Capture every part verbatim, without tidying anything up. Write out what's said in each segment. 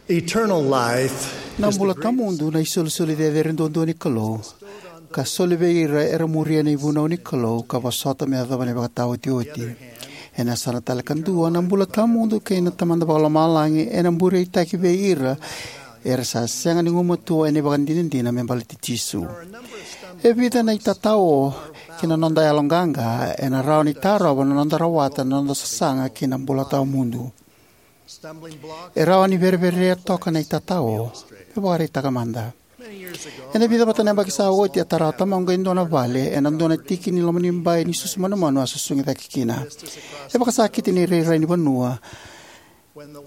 Eternal life Na is the bula grace tawamudu na isolisoli cecere duadua ni Kalou, ka soli vei ira era muria na ivunau ni Kalou ka vosota me yacova na ivakataotioti. Ena yasana tale kadua, na bula tawamudu kei na Tamada Vakalomalagi ena bureitaki vei ira era sa sega ni gumatua ena ivakadinadina me baleti Jisu. E vica na itatao ki na noda yaloqaqa ena rawa ni tarova na noda rawata na noda sasaga ki na bula tawamudu. E rawa ni vereverea toka na itatao. Me vakaraitaka mada. Ena vica vata na yabaki sa oti, a tara o tamaqu e dua na vale ena dua na tiki ni lomanibai ni susu manumanu a susugi cake kina. E vakasakiti na irairai ni vanua.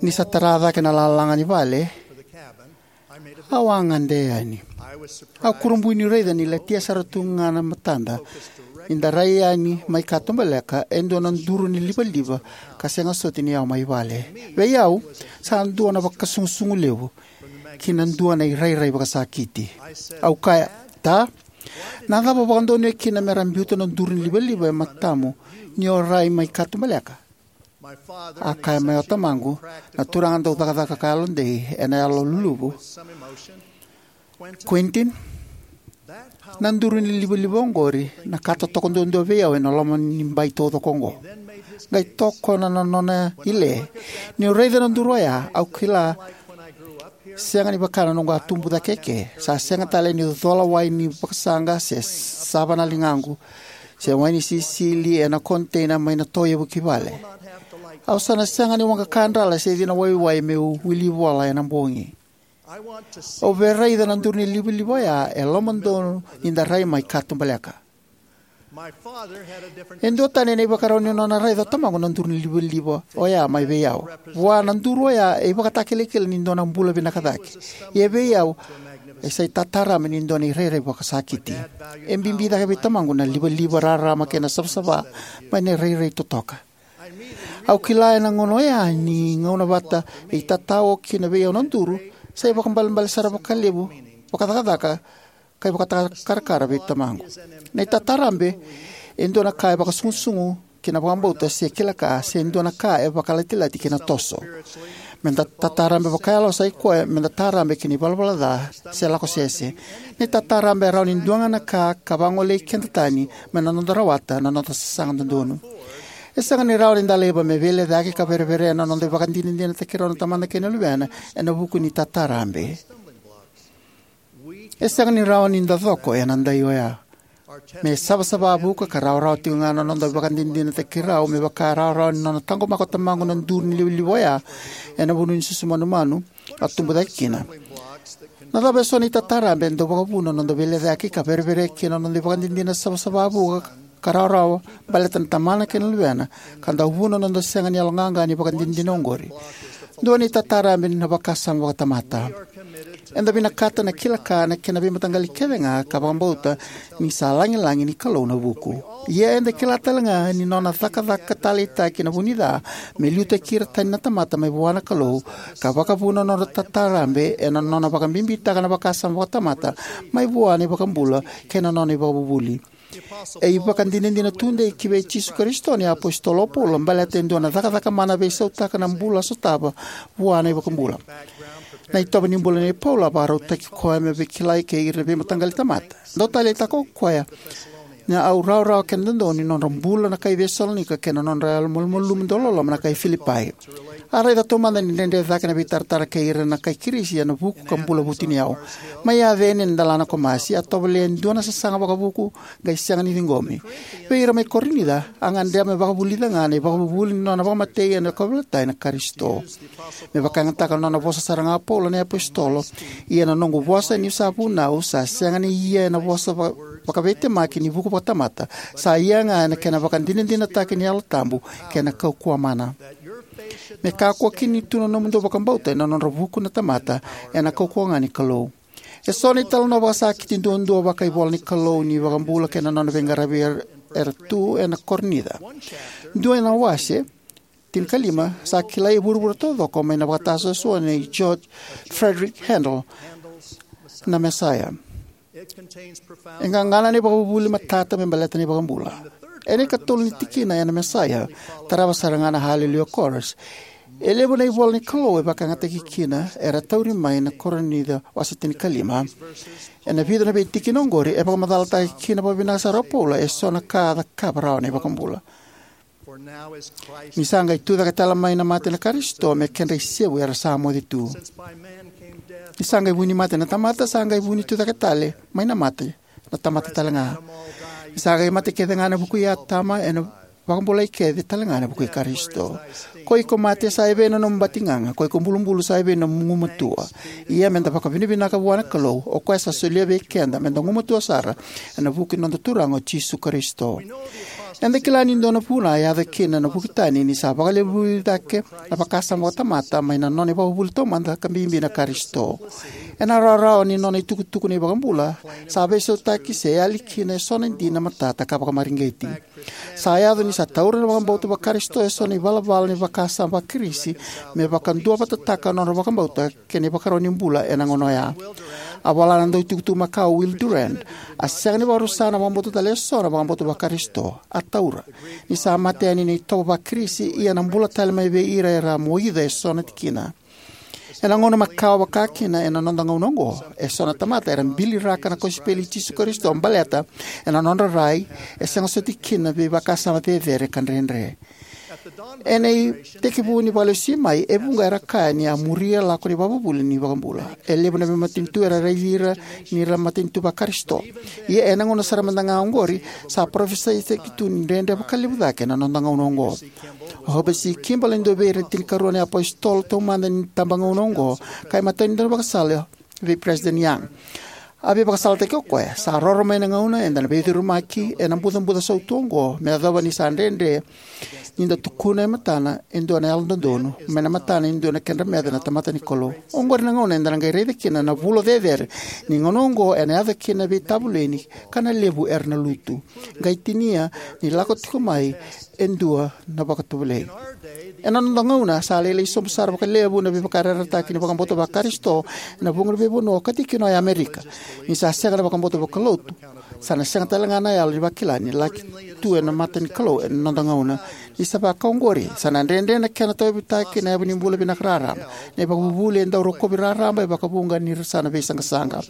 Ni sa tara cake na lalaga ni vale, au a gade yani. Au kurabui niu raica ni latia sara tu ga na matada ni da rai yani mai katubaleka e dua na duru ni livaliva ka sega soti ni yawa mai vale. Vei au, sa dua na vakasugusugu levu ki na dua na irairai vakasakiti. Au kaya, "Ta, na cava o vakadonuya kina me ra biuta na duru ni livaliva e matamu ni o rai mai katubaleka?" A kaya mai o tamaqu, na turaga dau cakacaka ka yalodei ena yalo luluvu, "Quentin, na duru ni livaliva oqori na ka totoka duadua vei au ena loma ni bai taucoko oqo." Qai tokona na nona ile. Niu raica na duru oya, au kila sega ni vaka na noqu a tubu cake eke. Sa sega tale ni cola wai ni vakasaqa se sava na ligaqu, se wai ni sisili ena koniteina mai na toevu ki vale. Au sa na sega ni waqa kadrala se cina waiwai meu wili vola ena bogi. Au via raica na duru ni livaliva oya e lomadonu ni da rai mai katubaleka. E duatani na ivakarau ni nona raica o tamaqu na duru ni livaliva oya mai vei au. Vua na duru oya e ivakatakilakila ni dua na bula vinaka cake. Ia vei au, e sa itatarabe ni dua na irairai vakasakiti. E bibi cake vei tamaqu na livaliva, rarama kei na savasava mai na irairai totoka. Au kila ena gauna oya ni gauna vata e itatao kina vei au na duru, sa ivakaibalebale sara vakalevu, vakacakacaka, ka ivakatakarakara vei tamaqu. Na itatarabe e dua na ka e vakasugusugu ki na vakabauta se kila ka, se dua na ka e vakalatilati ki na toso. Me da tatarabe vakayalo sa i koya me da tarabe ki na ivalavala ca se lako sese. Na itatarabe e rawa ni dua ga na ka ka vagolei keda tani mai na noda rawata na noda sasaga dodonu. E sega ni rawa ni da laiva me veilecayaki ka vereverea na noda ivakadinadinataki rau na Tamada kei na Luvena ena vuku ni tatarabe. E sega ni rawa ni da coko ena dai oya. Me savasava vuka ka rawarawa tiko ga na noda ivakadinadinataki rau, me vaka rawarawa ni nona taqomaka o tamaqu na duru ni livaliva oya ena vanua ni susu manumanu a tubu cake kina. Na cava eso na itatarabe e dau vakavuna na noda veilecayaki ka vereverea kina na noda ivakadinadina savasava vuka ka rawarawa baleta na Tamana kei na Luvena, ka dau vuna na noda sega ni yaloqaqa ni vakadinadina oqori? Dua na itatarabe na vakasama vakatamata. Eda vinakata na kila ka na kena veimataqali kece ga ka vakabauta ni sa lagilagi ni Kalou na vuku. Ia eda kila tale ga ni nona cakacaka taleitaki na vunica me liutaki ira tani na tamata mai vua na Kalou, ka vakavuna nodra tatarabe ena nona vakabibitaka na vakasama vakatamata mai vua na iVakabula kei na nona ivakavuvuli. E ivakadinadina tudei ki vei Jisu Karisito na iApositolo o Paula baleta e dua na cakacaka mana veisautaka na bula sotava vua na iVakabula. Na itovo ni bula nei Paula a vakarautaki koya me veikilai kei ira na veimataqali tamata. Dau taleitaka o koya na au rawarawa kei na dodonu ni nodra bula na kai Cesalonaika kei na nodra yalomalumalumu dauloloma na kai Filipai. A raica taumada ni dredre cake na veitaratara kei ira na kai Kirisi ena vuku ka bula vutuniyau. Mai Aceni ena delana ko Masi, a tovolea e dua na sasaga vakavuku qai sega ni ciqomi. Vei ira mai Korinica, a gadreva me vakavulica ga na ivakavuvuli ni nona vakamatei ena kauveilatai na Karisito. Me vakayagataka na nona vosa sara ga o Paula na iApositolo, ia na noqu vosa niu sa vunau sa sega ni ia ena vosa va-, vakaveitemaki ni vuku vakatamata, sa ia ga ena kena vakadinadinataki ni Yalo Tabu kei na kaukauwa mana. Me kakua kina ni tu na nomudou vakabauta ena nodra vuku na tamata, ena kaukauwa ga ni Kalou. Eso na italanoa vakasakiti duadua vakaivola ni Kalou ni iVakabula kei na nona veiqaravi era, era tu ena Korinica. Dua na wase, tinikalima, sa kilai e vuravura taucoko mai na vakatasuasua nei George Frederick Handel, na Messiah. E qaqana na ivakavuvuli matata me baleta na iVakabula. Ena ikatolu ni tikina ena Messiah, tarava sara ga na Hallelujah Chorus. E levu na ivola ni Kalou e vakayagataki kina era tauri mai na Korinica wase tinikalima. Ena vica na veitikina oqori, e vakamacalataki kina vakavinaka sara o Paula eso na ka a cakava rawa na iVakabula. Ni sa qai tucake tale mai na mate na Karisito me kedra isevu era sa moce tu. Ni sa qai vu ni mate na tamata, sa qai vu ni tucake tale mai na mate na tamata tale ga. Ni sa qai mate kece ga ena vuku i Atama, ena vakabulai kece tale ga ena vuku i Karisito. Ko iko mate, sa evei na nomu batigaga? Ko iko bulubulu, sa evei na nomu gumatua? Ia meda vakavinavinaka vua na Kalou, o koya sa solia vei keda meda gumatua sara ena vuku ni noda Turaga o Jisu Karisito. Eda kila ni dua na vuna e yaco kina na vuki tani ni sa vakalevui cake na vakasama vakatamata mai na nona ivakavuvuli taumada ka bibi na Karisito. Ena rawarawa ni nona itukutuku na iVakabula, sa veisautaki se yali kina eso na dina matata ka vakamareqeti. Sa yaco ni sa taura na vakabauta vaKarisito eso na ivalavala ni vakasama vaKirisi me vakaduavatataka na nodra vakabauta kei na ivakarau ni bula ena gauna oya. A vola na dauna itukutuku makawa o Will Durant, a sega ni vakarusa na vakabauta tale eso na vakabauta vaKarisito. A taura. Ni sa mate yani na itovo vaKirisi, ia na bula tale mai vei ira era a moica eso na tikina. Ena gauna makawa vaka kina ena noda gauna oqo, eso na tamata era biliraka na kosipeli i Jisu Karisito baleta ena nodra rai e sega soti kina na veivakasama cecere ka dredre. Ena itekivu ni Vakalesui mai, e vuqa era kaya ni a muria lako ni ivakavuvuli ni iVakabula. E levu na veimatanitu era raici ira ni ra matanitu vaKarisito. Ia ena gauna sara mada ga oqori, sa parofisaitaki tu ni dredre vakalevu cake na noda gauna oqo. O Heber C. Kimball e dua vei ira na tinikarua na iapositolo taumada ni tabagauna oqo, ka imatai ni daunivakasala vei President Young. A veivakasalataki o koya, sa roro mai na gauna eda na veicurumaki ena bucabuca sautu oqo, me yacova ni sa dredre ni da tukuna e matana e dua na yalododonu mai na matana e dua na kedra meca na tamata ni Kalou. Oqori na gauna eda na qai raica kina na vulo cecere ni gauna oqo ena yaco kina na veitavoleni ka na levu era na lutu, qai tinia ni lako tiko mai e dua na vakatovolei. Ena noda gauna, sa lailai sobu sara vakalevu na veivakayarayarataki ni vakabauta vaKarisito ena vuqa na veivanua, ka tikina o Amerika. Ni sa sega na vakabauta vakalotu, sa na sega tale ga na yalo ni vakila ni laki tu ena mata ni Kalou ena noda gauna. Ni sa vaka oqori, sa na dredre na kena tauyavutaki na yavu ni bula vinaka raraba. Na ivakavuvuli e dau rokovi raraba e vakavuqa ni ra sa na veisaqasaqa.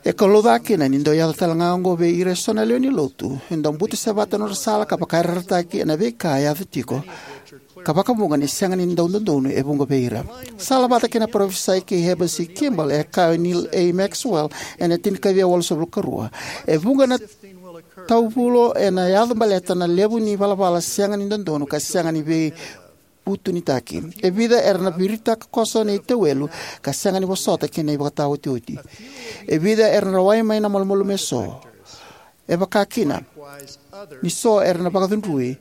E kalouca kina ni dau yaco tale ga oqo vei ira eso na lewe ni lotu e dau butusevata na nodra sala ka vakayarayarataki ena veika e yaco tiko, ka vakavuqa ni sega ni dau dodonu e vuqa vei ira. Sala vata kei na parofisai kei Heber C. Kimball, e kaya o Neal A. Maxwell ena tinikaciwa walusagavulu ka rua: E vuqa na tauvulo ena yaco baleta na levu ni valavala sega ni dodonu ka sega ni veivutunitaki. E vica era na viritaka koso na itauwelu ka sega ni vosota ki na ivakataotioti. E vica era na rawai mai na malumalumu eso. E vaka kina ni so era na vakacudrui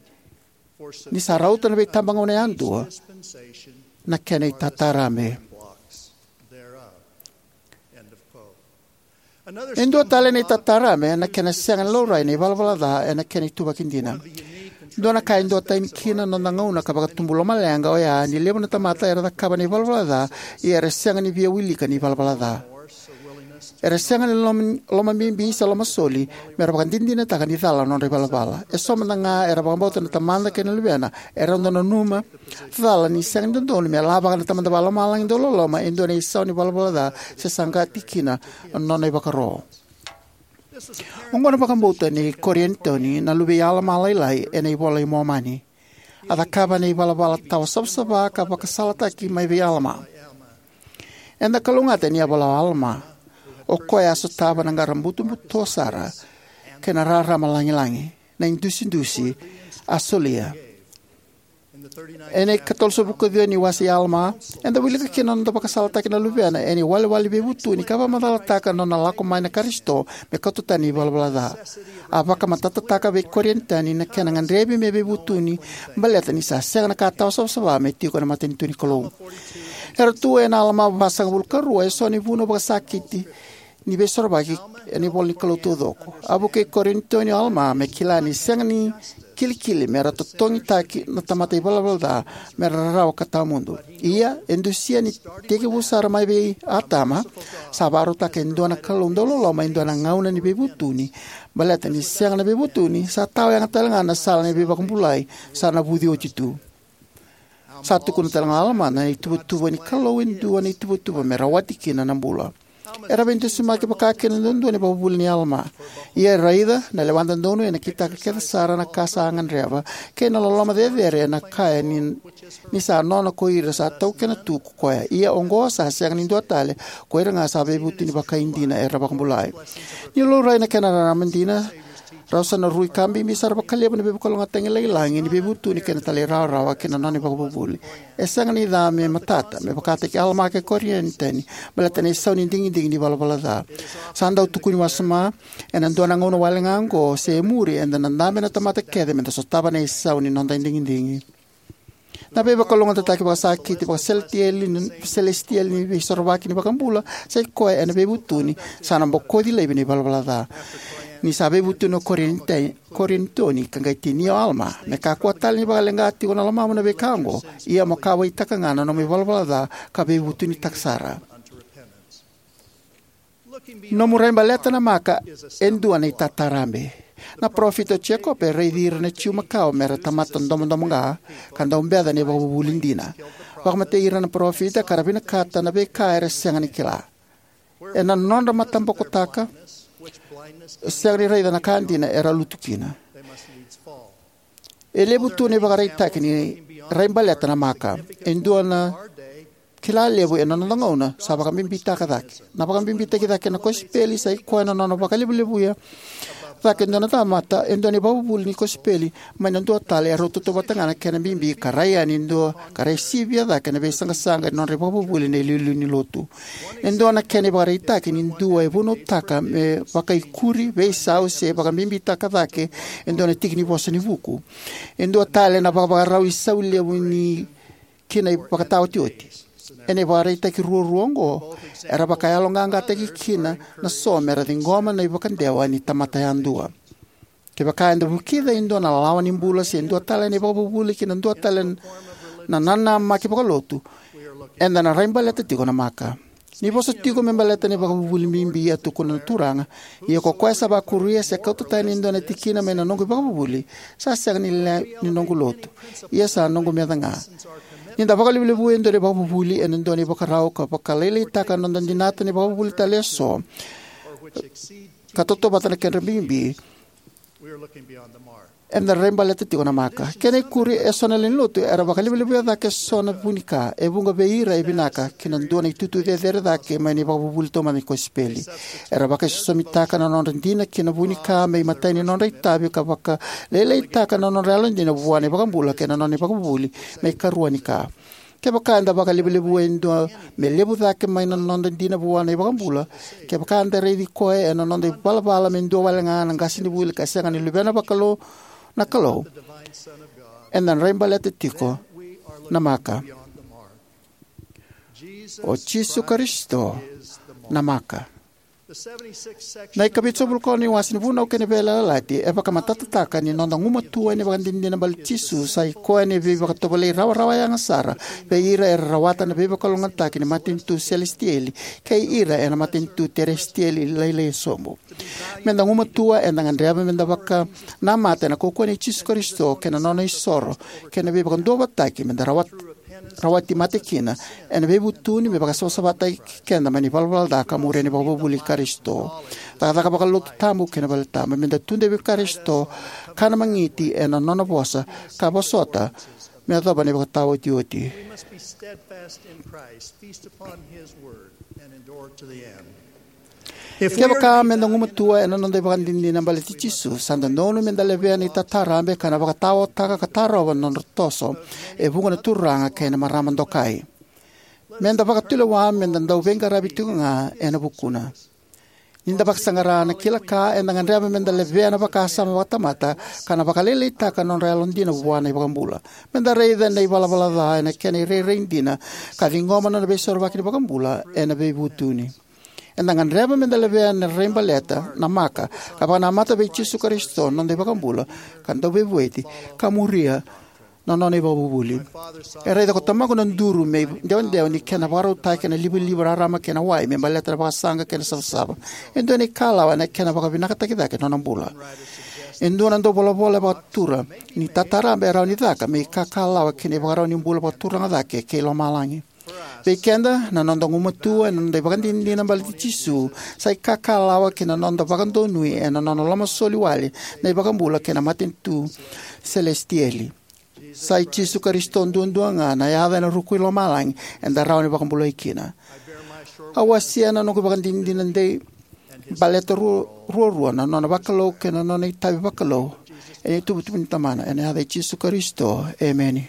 ni sa rauta na veitabagauna yadua na kena itatarabe. E dua tale na itatarabe na kena sega ni laurai na ivalavala ca ena kena ituvaki dina. Dua na ka e duatani kina na noda gauna ka vakatubu lomaleqa oya ni levu na tamata era cakava na ivalavala ca, ia era sega ni via wilika ni ivalavala ca. Era sega ni loma, lomabibi se lomasoli me ra vakadinadinataka ni cala na nodra ivalavala. Eso mada ga era vakabauta na Tamada kei na Luvena era dau nanuma cala ni sega ni dodonu me lavaka na Tamada Vakalomalagi dauloloma e dua na isau ni valavala ca se saqati kina na nona ivakaro. Oqo na vakabauta nei Korianitoni, na luve i Alama lailai ena iVola i Momani. A cakava na ivalavala tawa savasava ka vakasalataki mai vei Alama. Eda kalougata ni a vola o Alama, o koya a sotava na qara butobuto sara kei na rarama lagilagi, na idusidusi a solia. Ena ikatolusagavulu ka ciwa ni wase i Alama, eda wilika kina na noda vakasalataki na luvena ena iwalewale ni veivutuni ka vakamacalataka na nona lako mai na Karisito me kauta tani na ivalavala ca. A vakamatatataka vei Korianitoni na kena gadrevi me veivutuni baleta ni sa sega na ka tawa savasava me tiko ena matanitu ni Kalou. Era tu ena Alama vasagavulu ka rua eso na ivunau vakasakiti ni Veisorovaki ena ivola ni Kalou taucoko. A vukei Korianitoni o Alama me kila ni sega ni kilikili me ra totogitaki na tamata ivalavala ca me ra rarawa ka tawamudu. Ia, e dusia ni tekivu sara mai vei Atama, sa vakarautaka e dua na Kalou dauloloma e dua na gauna ni veivutuni, baleta ni sega na veivutuni, sa tawayaga tale ga na sala ni veivakabulai sa navuci oti tu. Sa tukuna talega o Alama na ituvatuva ni Kalou e dua na ituvatuva me rawati kina na bula. Era veidusimaki vakakina duadua na ivakavuvuli nei Alama. Ia raica, na lewa dodonu ena kitaka kece sara na ka sa gadreva, kei na loloma cecere ena kaya ni, ni sa nona ko ira sa taukena tu ko koya. Ia oqo sa sega ni dua tale, ko ira ga sa veivutuni vakaidina era vakabulai. Ni laurai na kena rarama dina, rau sa na rui ka bibi sara vakalevu na veivakalougatataki lagilagi ni veivutuni kei na talairawarawa ki na nona ivakavuvuli. E sega ni ca me matata, me vakataki Alama kei Korianitoni, baleta na isau ni digidigi ni valavala ca. Sa dau tukuni wasoma, ena dua na gauna wale ga oqo, se e muri, eda na dabe na tamata kece, meda sotava na isau ni noda digidigi. Na veivakalougatataki vakasakiti, vakaselesitieli, selesitieli ni veisorovaki ni vakabula, sa i koya ena veivutuni, sa na bokoci laivi na ivalavala ca. Ni sa veivutuni o Korinitoni, Korinitoni, ka qai tinia o Alama, me kakua tale ni vakaleqa tiko na lomamu na veika oqo, ia mo kauwaitaka ga na nomu ivalavala ca, ka veivutunitaka sara. Nomu raibaleta na maka e dua na itatarabe. Na parofita o Jekope e raici ira na Jiu makawa me ra tamata domodomoqa, ka dau beca na ivakavuvuli dina. Vakamatei ira na parofita ka ra vinakata na veika era sega ni kila. Ena nodra matabokotaka, sega ni raica na ka dina era lutu kina. E levu tu na ivakaraitaki ni raibaleta na maka. E dua na kila levu ena noda gauna sa vakabibitaka cake. Na vakabibitaki cake na kosipeli sa i koya na nona vakalevulevuya cake e dua na tamata, e dua na ivakavuvuli ni kosipeli, mai na dua tale e rau tautauvata ga na kena bibi ka rai yani e dua ka rai sivia cake na veisaqasaqa ni nodra ivakavuvuli na iliuliu ni lotu. E dua na kena ivakaraitaki ni dua e vunautaka me vakaikuri, veisau se vakabibitaka cake e dua na tiki ni vosa ni vuku. E dua tale na vakavakarau isau levu ni ki na ivakataotioti. Ena ivakaraitaki ruarua oqo, era vakayaloqaqataki kina na so me ra ciqoma na ivakadewa ni tamata yadua. Kevaka eda vukica e dua na lawa ni bula se dua tale na ivakavuvuli ki na dua tale na nanamaki vakalotu, eda na raibaleta tiko na maka. Ni vosa tiko me baleta na ivakavuvuli bibi, a tukuna na Turaga, ia ko koya sa vakuria se kauta tani e dua na tikina mai na noqu ivakavuvuli, sa sega ni lewe ni noqu lotu, ia sa noqu meca ga. Ni da vakalevulevu e dua na ivakavuvuli ena dua na ivakarau ka vakalailaitaka na noda dinata na ivakavuvuli tale eso, ka tautauvata na kedra bibi, eda raibaleta tiko na maka. Kena ikuri, eso na lewe ni lotu era vakalevulevuya cake eso na vu ni ka e vuqa vei ira e vinaka ki na dua na itutu cecere cake mai na ivakavuvuli taumada ni kosipeli. Era vakaisosomitaka na nodra dina ki na vu ni ka me imatai ni nodra itavi ka vakalailaitaka na nodra yalodina vua na iVakabula kei na nona ivakavuvuli me ikarua ni ka. Kevaka eda vakalevulevu e dua me levu cake mai na noda dina vua na iVakabula, kevaka eda raici koya ena noda ivalavala me dua wale ga na qasenivuli ka sega ni luvena vakalou na Kalou, eda na raibaleta tiko na maka. O Jisu Karisito na maka. Na ikavitusagavulu ka ono ni wase ni Vunau kei na Veiyalayalati e vakamatatataka ni noda gumatua ena ivakadinadina baleti Jisu sa i koya na veivakatovolei rawarawa yaga sara vei ira era rawata na veivakalougatataki ni matanitu selesitieli kei ira ena matanitu teresitieli lailai sobu. Meda gumatua, eda gadreva meda vakanamata ena kaukauwa nei Jisu Karisito kei na nona isoro kei na veivakaduavatataki meda rawat-, rawati mate kina ena veivutuni me vakasavasavataki keda mai na ivalavala ca ka muria na ivakavuvuli i Karisito. Cakacaka vakalotu tabu kei na valetabu, meda tudei vei Karisito, kana magiti ena nona vosa, ka vosota me yacova na ivakataotioti. We must be steadfast in Christ, feast upon his word, and endure to the end. If we are to Kevaka be meda gumatua ena noda ivakadinadina baleti Jisu, sa dodonu meda levea na itatarabe ka na vakataotaka ka tarova na nodra toso e vuqa na turaga kei na marama dokai. Meda vakatulewa meda dau veiqaravi tiko ga ena vukuna. Nida vakasaqara na kila ka, eda gadreva meda levea na vakasama vakatamata ka na vakalailaitaka na nodra yalodina vua na iVakabula. Meda raica na ivalavala ca ena kena irairai dina ka ciqoma na nona veisorovaki na iVakabula ena veivutuni. Eda gadreva meda levea na raibaleta na maka ka vakanamata vei Jisu Karisito, noda iVakabula ka Dauveivueti, ka muria na nona ivakavuvuli. E raica ko tamaqu na duru me idewadewa ni kena vakarautaki ena livaliva rarama kei na wai me baleta na vakasaqa kei na savasava. E dua na ikalawa ena kena vakavinakataki cake na nona bula. E dua na dauvolavola e vakatura ni tataraba e rawa ni caka me ikakalawa ki na ivakarau ni bula vakaturaga cake kei lomalagi. Vei keda, na noda gumatua ena noda ivakadinadina baleti Jisu sa ikakalawa ki na noda vakadonui ena nona lomasoli wale na iVakabula kei na matanitu selesitieli. Sai Jisu Karisito duadua ga na yaca ena ruku i lomalagi eda rawa ni vakabulai kina. Au wasea na noqu ivakadinadina dei baleta ru- ruarua, na nona vakalou kei na nona itavi vakalou, ena ituvatuva ni Tamana, ena yaca i Jisu Karisito, emeni.